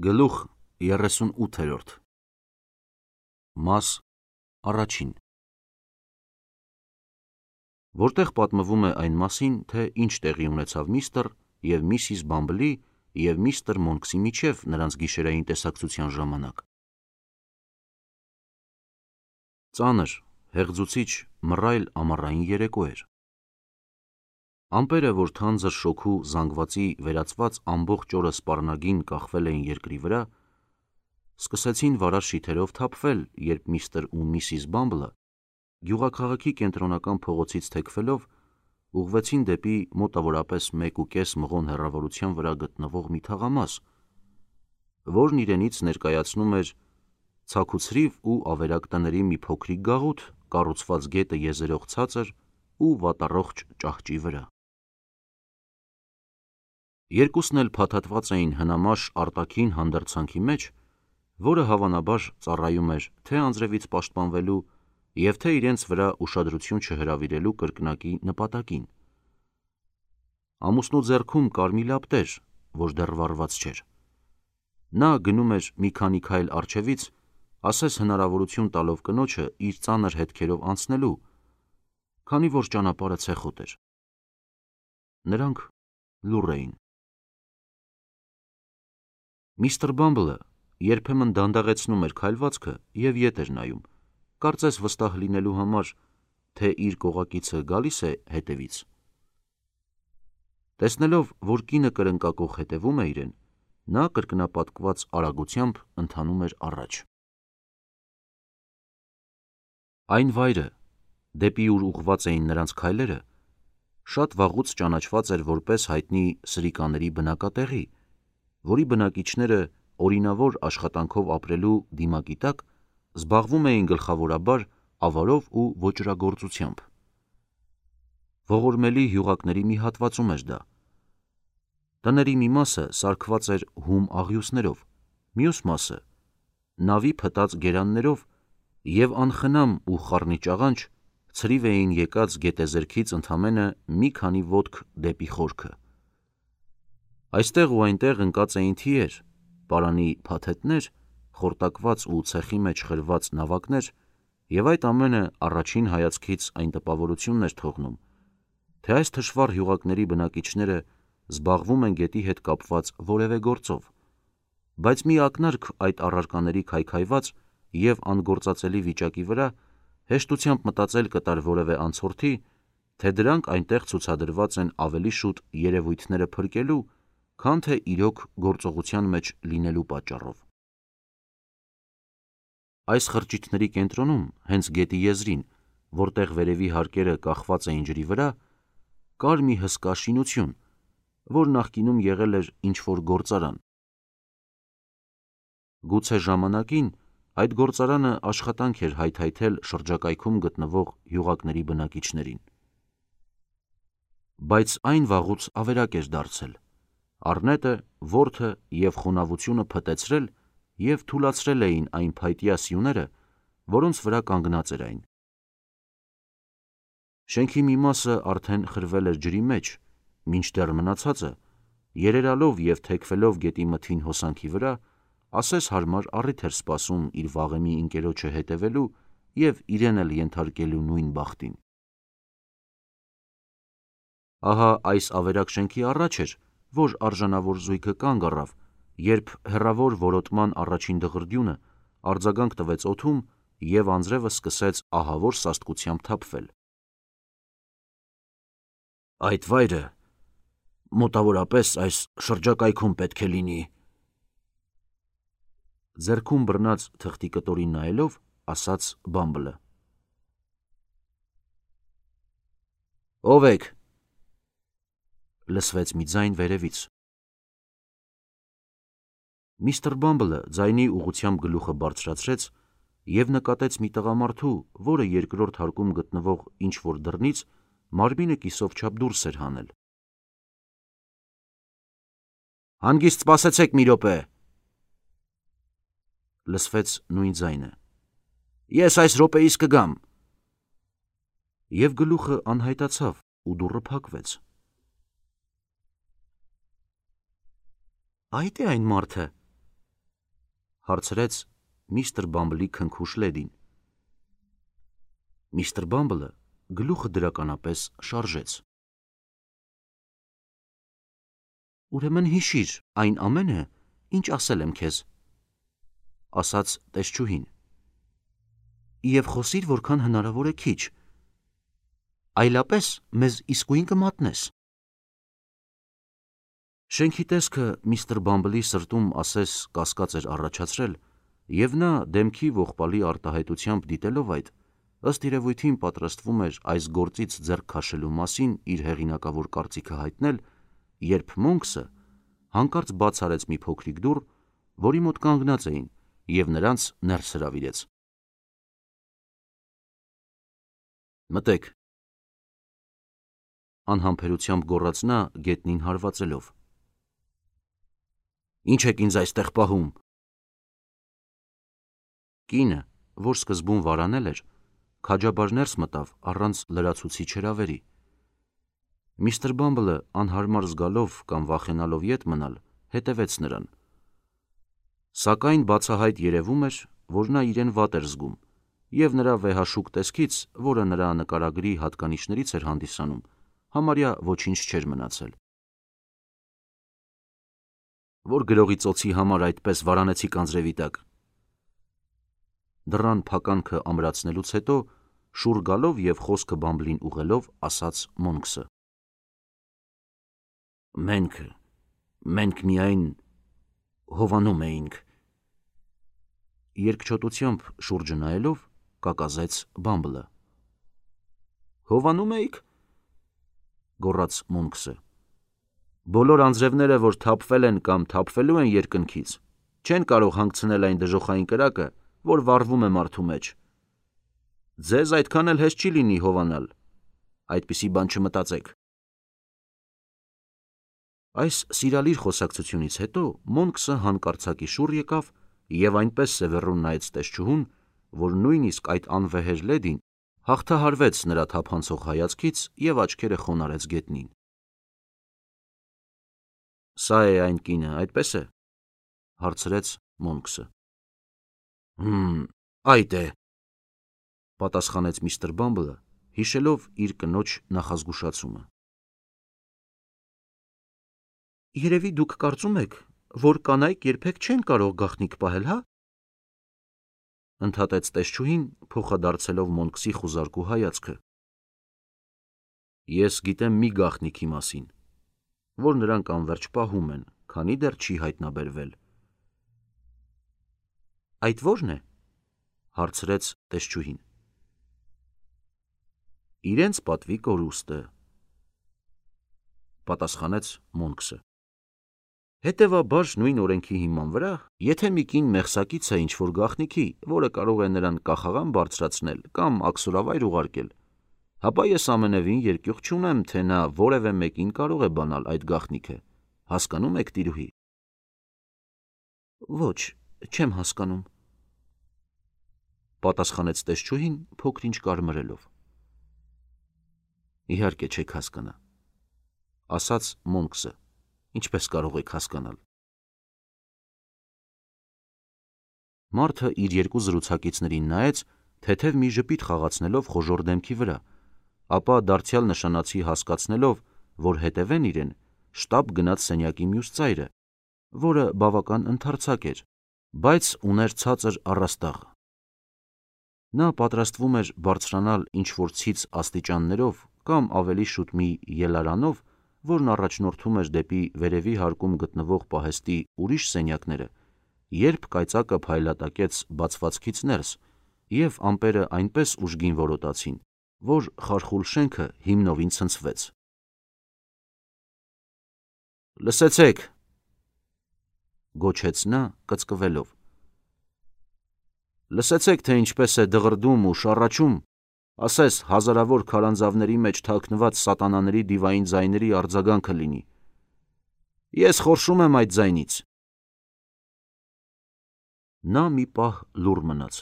Գլուխ 38 Մաս առաջին Որտեղ պատմվում է այն մասին, թե ինչ տեղի ունեցավ միստր և միսիս Բամբլի և միստր Մոնքսի միջև նրանց գիշերային տեսակցության ժամանակ։ Ծանր, հեղձուցիչ, մռայլ ամառային երեկո էր։ Ամպերը, որ թանձր շոգու զանգվածի վերածված ամբողջ օրը սպառնագին կախվել էին երկրի վրա, սկսեցին վարար շիթերով թափվել, երբ միստր ու միսիս Բամբլը գյուղաքաղաքի կենտրոնական փողոցից թեքվելով ուղղվեցին դեպի մոտավորապես 1,5 մղոն հեռավորության վրա գտնվող մի թաղամաս, որն իրենից ներկայացնում էր ցաքուցրիվ ու ավերակ տների մի փոքրիկ գաղութ, կառուցված գետը եզերող ցածր ու վատառողջ ճահճի վրա։ Երկուսն էլ փաթաթված էին հնամաշ արտաքին հանդերձանքի մեջ, որը հավանաբար ծառայում էր թե անձրևից պաշտպանվելու և թե իրենց վրա ուշադրություն չհրավիրելու կրկնակի նպատակին։ Ամուսնու ձեռքում կար մի լապտեր, որ դեռ վառված չէր։ Նա գնում էր մի քանի քայլ առջևից, ասես հնարավորություն տալով կնոջը իր ծանր հետքերով անցնելու, քանի որ ճանապարհը ցեխոտ էր։ Նրանք լուռ էին։ Միստր Բամբլը երբեմն դանդաղեցնում էր քայլվածքը և ետ էր նայում, կարծես վստահ լինելու համար, թե իր կողակիցը գալիս է հետևից։ Տեսնելով, որ կինը կրնկակոխ հետևում է իրեն, նա կրկնապատկված արագությամբ ընթանում էր առաջ։ Այն վայրը, դեպի ուր ուղղված էին նրանց քայլերը, շատ վաղուց ճանաչված էր որպես հայտնի սրիկաների բնակատեղի, որի բնակիչները օրինավոր աշխատանքով ապրելու դիմակի տակ զբաղվում էին գլխավորաբար ավարով ու ոճրագործությամբ։ Ողորմելի հյուղակների մի հատվածում էր դա։ Տների մի մասը սարքված էր հում աղյուսներով, մյուս մասը նավի փտած գերաններով և անխնամ ու խառնիճ աղանջ ցրիվ էին եկած գետեզերքից ընդամենը մի քանի ոտք դեպի խորքը։ Այստեղ ու այնտեղ ընկած էին թիեր, պարանի փաթեթներ, խորտակված ու ցեխի մեջ խրված նավակներ, և այդ ամենը առաջին հայացքից այն տպավորությունն էր թողնում, թե այս թշվառ հյուղակների բնակիչները զբաղվում են գետի հետ կապված որևէ գործով, բայց մի ակնարկ այդ առարկաների քայքայված և անգործածելի վիճակի վրա հեշտությամբ մտածել կտար որևէ անցորդի, թե դրանք այնտեղ ցուցադրված են ավելի շուտ երևույթները փրկելու, քան թե իրոք գործողության մեջ լինելու պատճառով։ Այս խրճիթների կենտրոնում, հենց գետի եզրին, որտեղ վերևի հարկերը կախված էին ջրի վրա, կար մի հսկա շինություն, որ նախկինում եղել էր ինչ-որ գործարան։ Գուցե ժամանակին այդ գործարանը աշխատանք էր հայթայթել շրջակայքում գտնվող հյուղակների բնակիչներին։ Բայց այն վաղուց ավերակ էր դարձել։ Առնետը, որդը և խոնավությունը փտեցրել և թուլացրել էին այն փայտյա սյուները, որոնց վրա կանգնած էր այն։ Շենքի մի մասը արդեն խրվել էր ջրի մեջ, մինչդեռ մնացածը, երերալով և թեքվելով գետի մթին հոսանքի վրա, ասես հարմար առիթ էր սպասում իր վաղեմի ընկերոջը հետևելու և իրեն էլ ենթարկելու նույն բախտին։ Ահա այս ավերակ շենքի առաջ էր, որ արժանավոր զույգը կանգ առավ, երբ հեռավոր որոտման առաջին դղրդյունը արձագանք տվեց օդում և անձրևը սկսեց ահավոր սաստկությամբ թափվել։ Այդ վայրը մոտավորապես այս շրջակայքում պետք է լինի, ձեռքում բռնած թղթի կտորին նայելով, ասաց Բամբլը։ Ո՞վ եք, լսվեց մի ձայն վերևից։ Միստր Բամբլը ձայնի ուղղությամբ գլուխը բարձրացրեց և նկատեց մի տղամարդու, որը երկրորդ հարկում գտնվող ինչ-որ դռնից մարմինը կիսով չափ դուրս էր հանել։ Հանգիստ սպասեցեք մի րոպե, լսվեց նույն ձայնը։ Ես այս րոպեիս կգամ։ Եվ գլուխը անհայտացավ ու դուռը փակվեց։ Այդ է այն մարդը, հարցրեց միստր Բամբլի քնքուշ լեդին։ Միստր Բամբլը գլուխը դրականապես շարժեց։ Ուրեմն հիշիր այն ամենը, ինչ ասել եմ քեզ, ասաց տեսչուհին, և խոսիր որքան հնարավոր է քիչ, այլապես մեզ իսկույն կմատնես։ Շենքի տեսքը միստր Բամբլի սրտում ասես կասկած էր առաջացրել, և նա դեմքի ողբալի արտահայտությամբ դիտելով այդ, ըստ երևույթին պատրաստվում էր այս գործից ձեռք քաշելու մասին իր հեղինակավոր կարծիքը հայտնել, երբ Մոնքսը հանկարծ բաց արեց մի փոքրիկ դուռ, որի մոտ կանգնած էին, և նրանց ներս հրավիրեց։ Մտեք, անհամբերությամբ գոռաց նա գետնին հարվածելով։ Ինչ եք ինձ այստեղ պահում։ Կինը, որ սկզբում վարանել էր, քաջաբար ներս մտավ առանց լրացուցիչ հրավերի։ Միստր Բամբլը անհարմար զգալով կամ վախենալով ետ մնալ, հետևեց նրան։ Սակայն բացահայտ երևում էր, որ նա իրեն վատ էր զգում, և նրա վեհաշուկ տեսքից, որը նրա նկարագրի հատկանիշներից էր հանդիսանում, համարյա ոչինչ չէր մնացել։ Որ գրողի ծոցի համար այդպես վարանեցիք անձրևի տակ։ Դռան փականքը ամրացնելուց հետո, շուռ գալով և խոսքը Բամբլին ուղղելով, ասաց Մոնքսը. Մենք միայն հովանում էինք։ Երկչոտությամբ շուրջը նայելով, կակազեց Բամբլը։ Հովանում էիք, գոռաց Մոնքսը։ Բոլոր անձրևները, որ թափվել են կամ թափվելու են երկնքից, չեն կարող հանգցնել այն դժոխային կրակը, որ վառվում է մարդու մեջ։ Ձեզ այդքան էլ հեշտ չի լինի հովանալ, այդպիսի բան չմտածեք։ Այս սիրալիր խոսակցությունից հետո Մոնքսը հանկարծակի շուռ եկավ և այնպես սևեռուն նայեց տեսչուհուն, որ նույնիսկ այդ անվեհեր լեդին հաղթահարվեց նրա թափանցող հայացքից և աչքերը խոնարհեց գետնին։ Սա է այն կինը, այդպես է, հարցրեց Մոնքսը։ Այդ է, պատասխանեց միստր Բամբլը, հիշելով իր կնոջ նախազգուշացումը։ Երևի դուք կարծում եք, որ կանայք երբեք չեն կարող գաղտնիք պահել, հա՞, ընդհատեց տեսչուհին, փոխադարձելով Մոնքսի խուզարկու հայացքը։ Ես գիտեմ մի գաղտնիքի մասին, որ նրանք անվերջ պահում են, քանի դեռ չի հայտնաբերվել։ Այդ ո՞րն է, հարցրեց տեսչուհին։ Իրենց պատվի կորուստը, պատասխանեց Մոնքսը։ Հետևաբար նույն օրենքի հիման վրա, եթե մի կին մեղսակից է ինչ-որ գաղտնիքի, որը կարող է նրան կախաղան բարձրացնել կամ աքսորավայր ուղարկել, ապա ես ամենևին երկյուղ չունեմ, թե նա որևէ մեկին կարող է բանալ այդ գաղտնիքը, հասկանում եք, տիրուհի։ Ոչ, չեմ հասկանում, պատասխանեց տեսչուհին փոքր-ինչ կարմրելով։ Իհարկե չեք հասկանա, ասաց Մոնքսը, ինչպես կարող եք հասկանալ։ Մարդը իր երկու զրուցակիցներին նայեց, թեթև մի ժպիտ խաղացնելով խոժոռ դեմքի վրա, ապա դարձյալ նշանացի հասկացնելով, որ հետևեն իրեն, շտապ գնաց սենյակի մյուս ծայրը, որը բավական ընդարձակ էր, բայց ուներ ցածր առաստաղ։ Նա պատրաստվում էր բարձրանալ ինչ-որ ցից աստիճաններով կամ ավելի շուտ մի ելարանով, որն առաջնորդում էր դեպի վերևի հարկում գտնվող պահեստի ուրիշ սենյակները, երբ կայծակը փայլատակեց բացվածքից ներս, և ամպերը այնպես ուժգին որոտացին, որ խարխուլ շենքը հիմնովին ցնցվեց։ Լսեցեք, գոչեց նա կծկվելով։ Լսեցեք, թե ինչպես է դղրդում ու շառաչում, ասես հազարավոր քարանձավների մեջ թաքնված սատանաների դիվային ձայների արձագանքը լինի։ Ես խորշում եմ այդ ձայնից։ Նա մի պահ լուռ մնաց։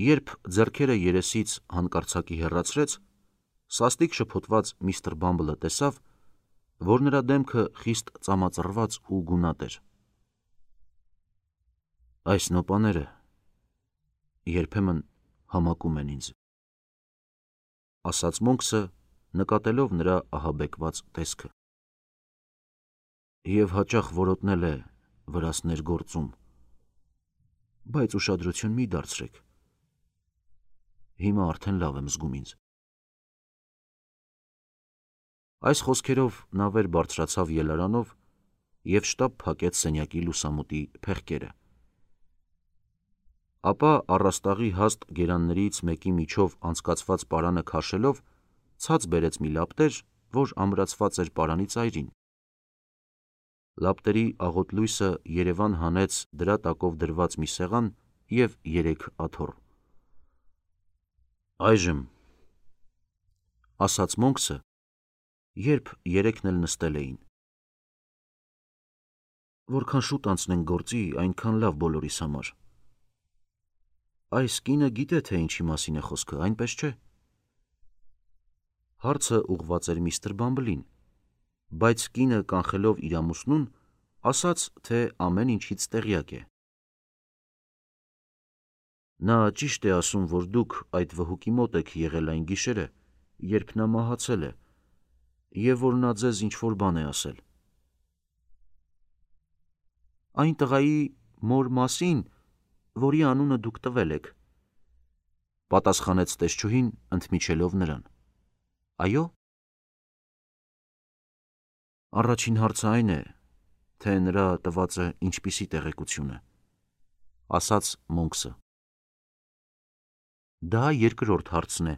Երբ ձեռքերը երեսից հանկարծակի հեռացրեց, սաստիկ շփոթված միստր Բամբլը տեսավ, որ նրա դեմքը խիստ ծամածռված ու գունատ էր։ Այս նոպաները երբեմն համակում են ինձ, ասաց Մոնքսը, նկատելով նրա ահաբեկված տեսքը, և հաճախ որոտնել է վրաս ներգործում, բայց ուշադրություն մի դարձրեք, հիմա արդեն լավ եմ զգում ինձ։ Այս խոսքերով նա վեր բարձրացավ ելարանով և շտապ փակեց սենյակի լուսամուտի փեղկերը։ Ապա առաստաղի հաստ գերաններից մեկի միջով անցկացված պարանը քաշելով, ցած բերեց մի լապտեր, որ ամրացված էր պարանի ծայրին։ Լապտերի աղոտ լույսը երևան հանեց դրա տակով դրված մի սեղան և 3 աթոռ։ Այժմ, ասաց Մոնքսը, երբ երեքն էլ նստել էին, որքան շուտ անցնենք գործի, այնքան լավ բոլորիս համար։ Այս կինը գիտե, թե ինչի մասին է խոսքը, այնպես չէ։ Հարցը ուղղված էր միստր Բամբլին, բայց կինը կանխելով իր ամուսնուն, ասաց, թե ամեն ինչից տեղյակ է։ Նա ճիշտ է ասում, որ դուք այդ վհուկի մոտ եք եղել այն գիշերը, երբ նա մահացել է, և որ նա ձեզ ինչ-որ բան է ասել։ Այն տղայի մոր մասին, որի անունը դուք տվել եք, պատասխանեց տեսչուհին, ընդմիջելով նրան։ Այո։ Առաջին հարցը այն է, թե նրա տվածը ինչպիսի տեղեկություն է, ասաց Մոնքսը։ Դա երկրորդ հարցն է,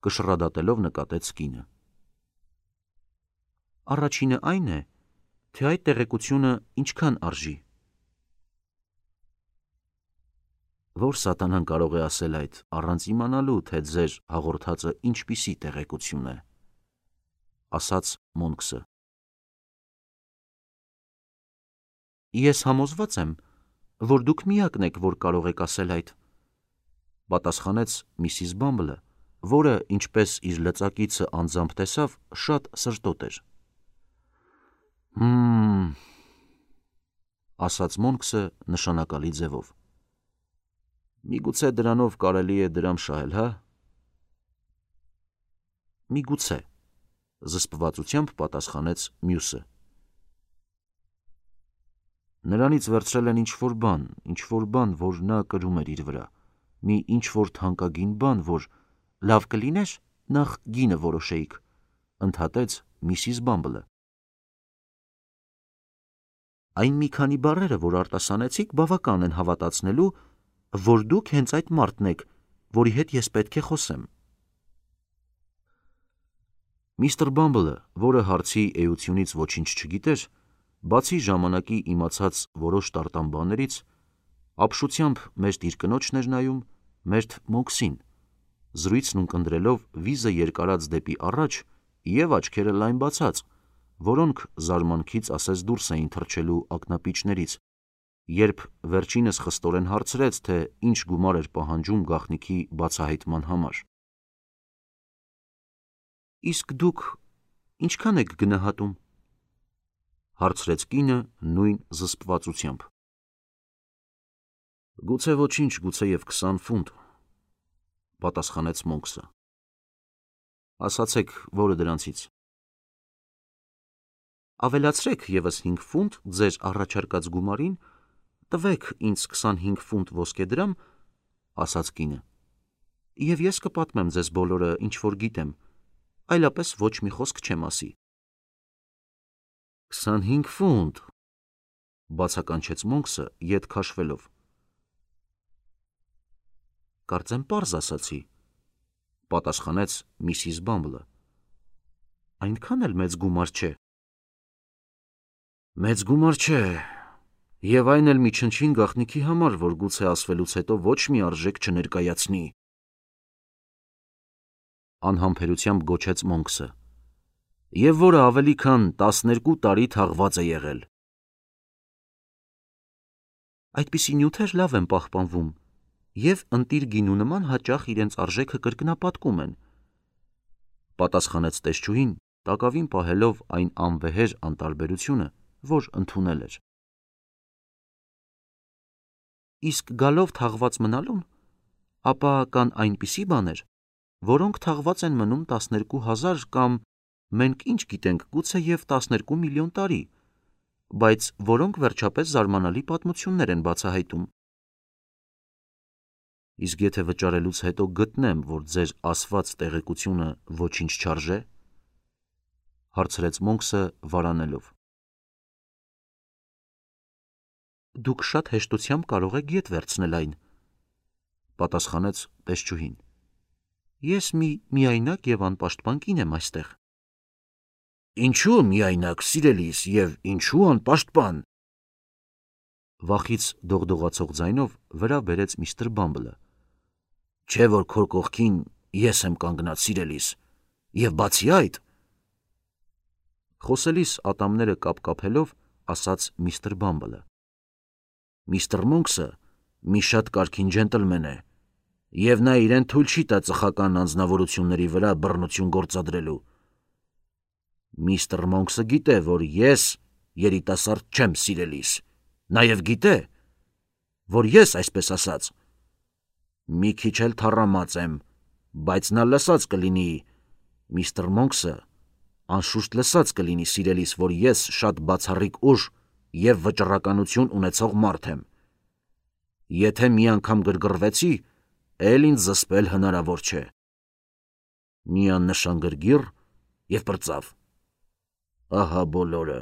կշռադատելով նկատեց կինը։ Առաջինը այն է, թե այդ տեղեկությունը ինչքան արժի։ Որ սատանան կարող է ասել այդ, առանց իմանալու, թե ձեր հաղորդածը ինչպիսի տեղեկություն է, ասաց Մոնքսը։ Ես համոզված եմ, որ դուք միակն եք, որ կարող եք ասել այդ, պատասխանեց Միսիս Բամբլը, որը, ինչպես իր լծակիցը անձամբ տեսավ, շատ սրտոտ էր։ Ասաց Մոնքսը նշանակալի ձևով։ Միգուցե դրանով կարելի է դրամ շահել, հա։ Միգուցե, զսպվածությամբ պատասխանեց մյուսը։ Նրանից վերցրել են ինչ-որ բան, որ նա կրում էր իր վրա, մի ինչ-որ թանկագին բան, որ լավ կլիներ նախ գինը որոշեիք, ընդհատեց Միսիս Բամբլը։ Այն մի քանի բառերը, որ արտասանեցիք, բավական են հավատացնելու, որ դուք հենց այդ մարդն եք, որի հետ ես պետք է խոսեմ։ Միստր Բամբլը, որը հարցի էությունից ոչինչ չգիտեր, բացի ժամանակի իմացած որոշ տարտան բաներից, ապշությամբ մերթ իր կնոջն էր նայում, մերթ Մոնքսին, զրույցն ունկնդրելով վիզը երկարած դեպի առաջ և աչքերը լայն բացած, որոնք զարմանքից ասես դուրս էին թռչելու ակնապիճներից, երբ վերջինս խստորեն հարցրեց, թե ինչ գումար էր պահանջում գաղտնիքի բացահայտման համար։ Իսկ դուք ինչքան եք գնահատում, հարցրեց կինը նույն զսպվածությամբ։ Գուցե ոչինչ, գուցեև 20 ֆունտ, պատասխանեց Մոնքսը։ Ասացեք, որը դրանցից։ Ավելացրեք ևս 5 ֆունտ ձեր առաջարկած գումարին, տվեք ինձ 25 ֆունտ ոսկեդրամ, ասաց կինը, և ես կպատմեմ ձեզ բոլորը, ինչ որ գիտեմ, այլապես ոչ մի խոսք չեմ ասի։ 25 ֆունտ, բացականչեց Մոնքսը, ետ քաշվելով։ Կարծեմ պարզ ասացի, պատասխանեց Միսիս Բամբլը։ Այնքան էլ մեծ գումար չէ։ Մեծ գումար չէ, և այն էլ մի չնչին գաղտնիքի համար, որ գուցե ասվելուց հետո ոչ մի արժեք չներկայացնի, անհամբերությամբ գոչեց Մոնքսը, և որը ավելի քան 12 տարի թաղված է եղել։ Այդպիսի նյութեր լավ են պահպանվում և ընտիր գինու նման հաճախ իրենց արժեքը կրկնապատկում են, պատասխանեց տեսչուհին, տակավին պահելով այն անվեհեր անտարբերությունը, որ ընդունել էր։ իսկ գալով թաղված մնալուն, ապա կան այնպիսի բաներ, որոնք թաղված են մնում 12,000 կամ մենք ինչ գիտենք գուցե և 12 միլիոն տարի, բայց որոնք վերջապես զարմանալի պատմություններ են բացահայտում։ Իսկ եթե վճարելուց հետո գտնեմ, որ ձեր ասված տեղեկությունը ոչինչ չարժե, հարցրեց Մոնքսը վարանելով։ Դուք շատ հեշտությամբ կարող եք ետ վերցնել այն, պատասխանեց տեսչուհին։ Ես մի միայնակ և անպաշտպան կին եմ այստեղ։ Ինչու միայնակ, սիրելիս, և ինչու անպաշտպան, վախից դողդողացող ձայնով վրա բերեց միստր Բամբլը։ Չէ՞ որ քո կողքին ես եմ կանգնած, սիրելիս, և բացի այդ, խոսելիս ատամները կապկապելով ասաց միստր Բամբլը, միստր Մոնքսը մի շատ կարգին ջենտլմեն է, և նա իրեն թույլ չի տա ծխական անձնավորությունների վրա բռնություն գործադրելու։ Միստր Մոնքսը գիտե, որ ես երիտասարդ չեմ, սիրելիս, նաև գիտե, որ ես, այսպես ասած, մի քիչ էլ թառամած եմ, բայց նա լսած կլինի, միստր Մոնքսը անշուշտ լսած կլինի, սիրելիս, որ ես շատ բացառիկ ուժ և վճռականություն ունեցող մարդ եմ։ Եթե մի անգամ գրգռվեցի, էլ ինձ զսպել հնարավոր չէ։ Մի աննշան գրգիռ և պրծավ։ Ահա բոլորը։